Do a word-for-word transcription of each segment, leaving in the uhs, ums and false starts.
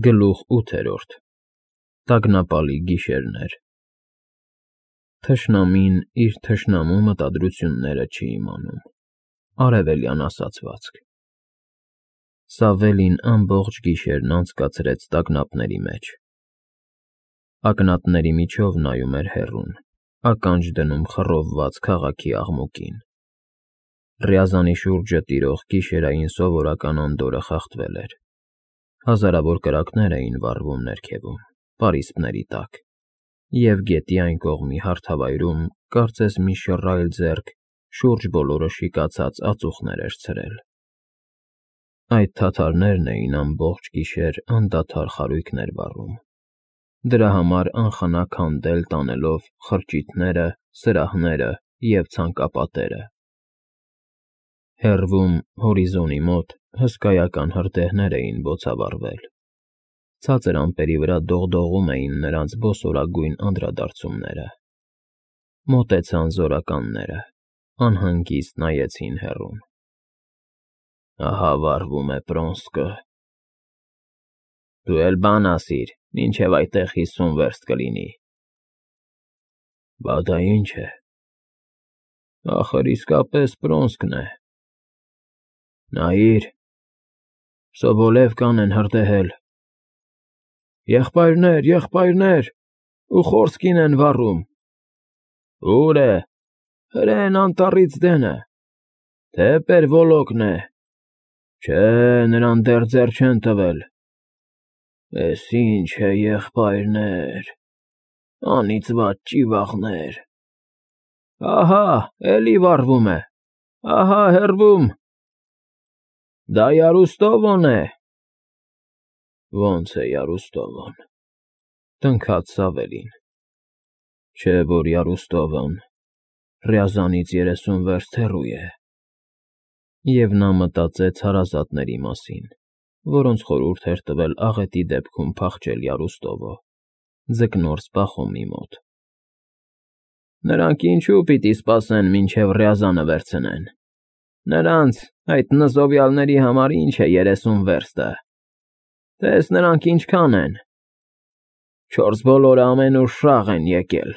Գլուխ ութերորդ Տագնապալի գիշերներ Թշնամին իր թշնամու մտադրությունները չի իմանում, արևելյան ասացվածք Սավելին ամբողջ գիշերն անցկացրեց տագնապների մեջ, ակնատների միջով նայում էր հեռուն, ականջ դնում խռովված քաղաքի աղմուկին, Ռյազանի շուրջը տիրող գիշերային սովորական անդորրը խախտվել էր, հազարավոր կրակներ էին վառվում ներքևում, պարիսպների տակ, և գետի այն կողմի հարթավայրում կարծես մի շռայլ ձեռք շուրջ բոլորը շիկացած ածուխներ էր ցրել. Այդ թաթարներն էին ամբողջ գիշեր անդադար խարույկներ վառում, դրա համար անխնա քանդել տանելով խրճիթները, սրահները և ցանկապատերը: Հեռվում, հորիզոնի մոտ հսկայական հրդեհներ էին բոցավառվել, ցածր ամպերի վրա դողդողում էին նրանց բոսորագույն անդրադարձումները: Մոտեցան զորականները, անհանգիստ նայեցին հեռուն: Ահա վառվում է Պրոնսկը: Դու էլ բան ասիր, մինչև այդտեղ հիսուն վերստ կլինի: Բա դա ի՞նչ է: Ախր իսկապես Պրոնսկն է: Նայիր, Սոբոլևկան են հրդեհել: Եղբայրներ, եղբայրներ, Ուխորսկին են վառում: Ո՞ւր է, հրեն անտառից դենը, թե Պերվոլոկն է: Չէ, նրան դեռ ձեռ չեն տվել: Էս ի՞նչ է, եղբայրներ, անիծված ճիվաղներ: Ահա, էլի վառվում է, ահա հեռվում: Դա Յարուստովոն է: Ոնց է Յարուստովոն, տնքաց Սավելին, չէ որ Յարուստովոն Ռյազանից երեսուն վերստ հեռու է: Եվ նա մտածեց հարազատների մասին, որոնց խորհուրդ էր տվել աղետի դեպքում փախչել Յարուստովը, ձկնորս Պախոմի մոտ: Նրանք ինչո՞ւ պիտի սպասեն մինչև Ռյազանը վերցնեն: Նրանց, այդ նզովյալների համար ի՞նչ է երեսուն վերստը: Տես նրանք ինչքան են: Չորս բոլորը ամենուր շաղ են եկել,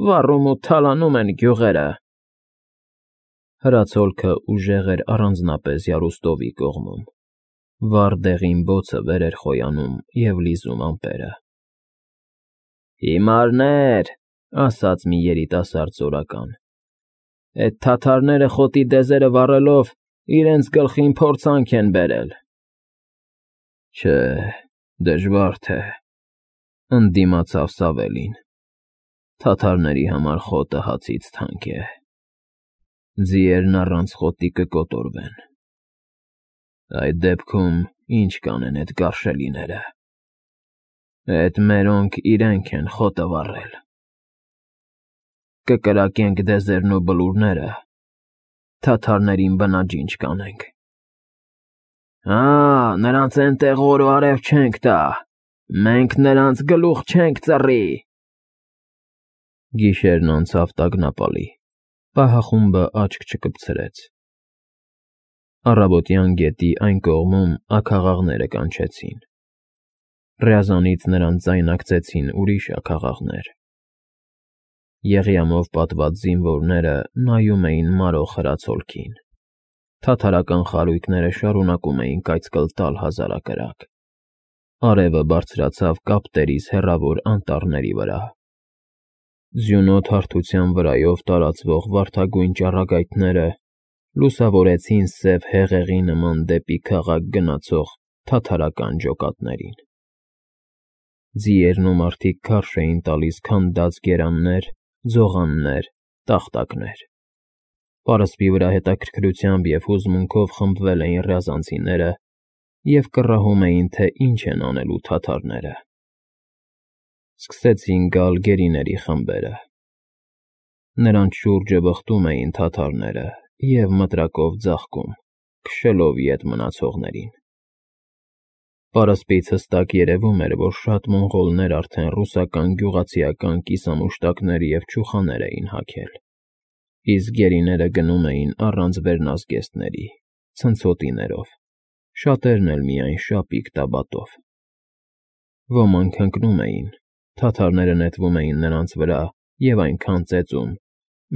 վառում ու թալանում են գյուղերը: Հրացոլքը ուժեղ էր առանձնապես Յարուստովի կողմում, վառ դեղին բոցը վեր էր խոյանում և լիզում ամպերը: Հիմարներ, ասաց մի երիտասարդ զորական, էդ թաթարները խոտի դեզերը վառելով իրենց գլխին փորձանք են բերել: Չէ, դժվար թե, ընդդիմացավ Սավելին, թաթարների համար խոտը հացից թանկ է: Ձիերն առանց խոտի կկոտորվեն: Այդ դեպքում ի՞նչ կանեն էդ գարշելիները: Էդ մերոնք իրենք են խոտը վառել: Կկրակենք դեզերն ու բլուրները, թաթարներին բնաջինջ կանենք: Հա, նրանց էնտեղ օր ու արև չենք տա, մենք նրանց գլուխ չենք ծռի: Գիշերն անցավ տագնապալի, պահախումբը աչք չկպցրեց: Առավոտյան գետի այն կողմում աքաղաղները կանչեցին: Ռյազանից նրանց ձայնարկեցին ուրիշ աքաղաղներ: Եղյամով պատված զինվորները նայում էին մարող հրացոլքին, թաթարական խարույկները շարունակում էին կայծկլ տալ հազարակրակ: Արևը բարձրացավ կապտերիս հեռավոր անտառների վրա: Ձյունոտ հարթության վրայով տարածվող վարդագույն ճառագայթները լուսավորեցին սև հեղեղի նման դեպի քաղաք գնացող թաթարական ջոկատներին: Ձիերն ու մարդիկ քարշ էին տալիս քանդած գերաններ, ձողաններ, տախտակներ: Պարսպի վրա հետաքրքրությամբ և հուզմունքով խմբվել էին ռյազանցիները և կռահում էին, թե ինչ են անելու թաթարները: Սկսեցին գալ գերիների խմբերը: Նրանց շուրջը վխտում էին թաթարները և մտրակով ձաղկում, քշելով ետ մնացողներին: Պարսպից հստակ երևում էր, որ շատ մոնղոլներ արդեն ռուսական գյուղացիական կիսամուշտակներ և չուխաներ էին հագել, իսկ գերիները գնում էին առանց վերնազգեստների, ցնցոտիներով, շատերն էլ միայն շապիկ տաբատով: Ոմանք ընկնում էին, թաթարները նետվում էին նրանց վրա և այնքան ծեծում,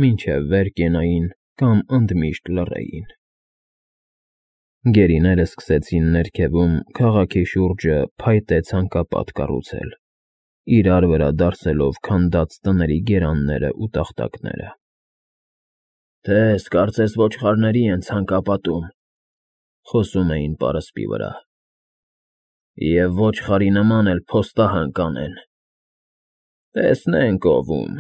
մինչև վեր կենային կամ ընդմիշտ լռեին։ Գերիները սկսեցին ներքևում քաղաքի շուրջը փայտե ցանկապատ կառուցել, իրար վրա դարսելով քանդած տների գերաններն ու տախտակները։ «Տես, կարծես ոչխարների են ցանկապատում,֊ խոսում էին պարսպի վրա,֊ և ոչխարի նման էլ փոստահան կանեն։ Տեսնենք ով ում,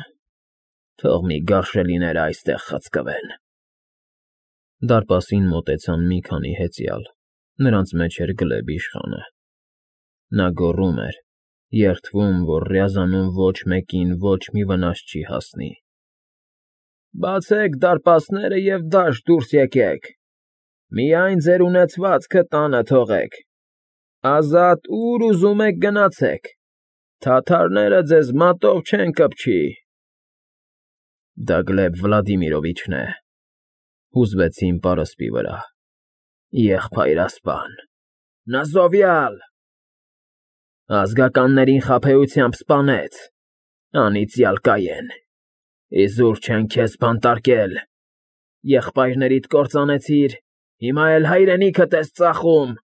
թող մի գարշելիները այստեղ խցկվեն»։ Դարպասին մոտեցան մի քանի հեծյալ, նրանց մեջ էր Գլեբ իշխանը։ Նա գոռում էր, երդվում, որ Ռյազանում ոչ մեկին ոչ մի վնաս չի հասնի։ «Բացեք դարպասները և դաշտ դուրս եկեք, միայն ձեր ունեցվածքը տանը թողեք, ազատ ուր ուզում եք գնացեք, թաթարները ձեզ մատով չեն կպչի»։ «Դա Գլեբ Վլադիմիրովիչն է,֊ հուզվեցին պարսպի վրա,֊ եղբայրասպան, նզովյալ… Ազգականներին խաբեությամբ սպանեց, անիծյալ Կայեն, իզուր չեն քեզ բանտարկել, եղբայրներիդ կործանեցիր, հիմա էլ հայրենիքդ ես ծախում,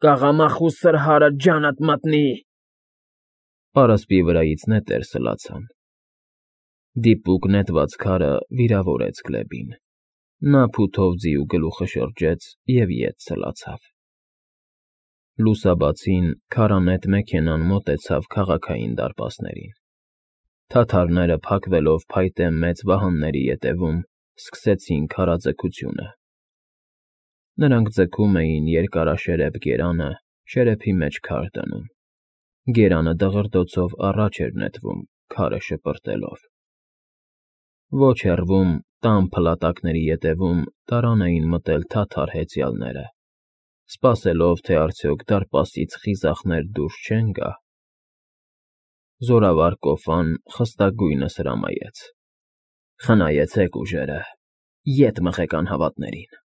կաղամախու սրհարը ջանդ մտնի… Պարսպի վրայից նետեր սլացան։ Դիպուկ նետված քարը վիրավորեց Գլեբին, նա փութով ձիու գլուխը շրջեց և ետ սլացավ։ Լուսաբացին քարանետ մեքենան մոտեցավ քաղաքային դարպասներին։ Թաթարները փակվելով փայտե մեծ վահանների ետևում սկսեցին քարաձգությունը։ Նրանք ձգում էին երկարաշերեփ գերանը, շերեփի մեջ քար դնում։ Գերանը դղրդոցով առաջ էր նետվում, քարը շպրտելով։ Ոչ հեռվում, տան փլատակների ետևում տարան էին մտել թաթար հեծյալները, սպասելով, թե արդյոք դարպասից խիզախներ դուրս չեն գա։ Զորավար կոֆան խստագույնս հրամայեց. «Խնայեցեք ուժերը, ետ մղեք անհավատներին,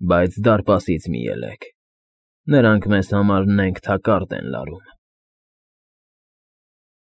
բայց դարպասից մի ելեք, նրանք մեզ համար նենգ թակարդ են լարում»։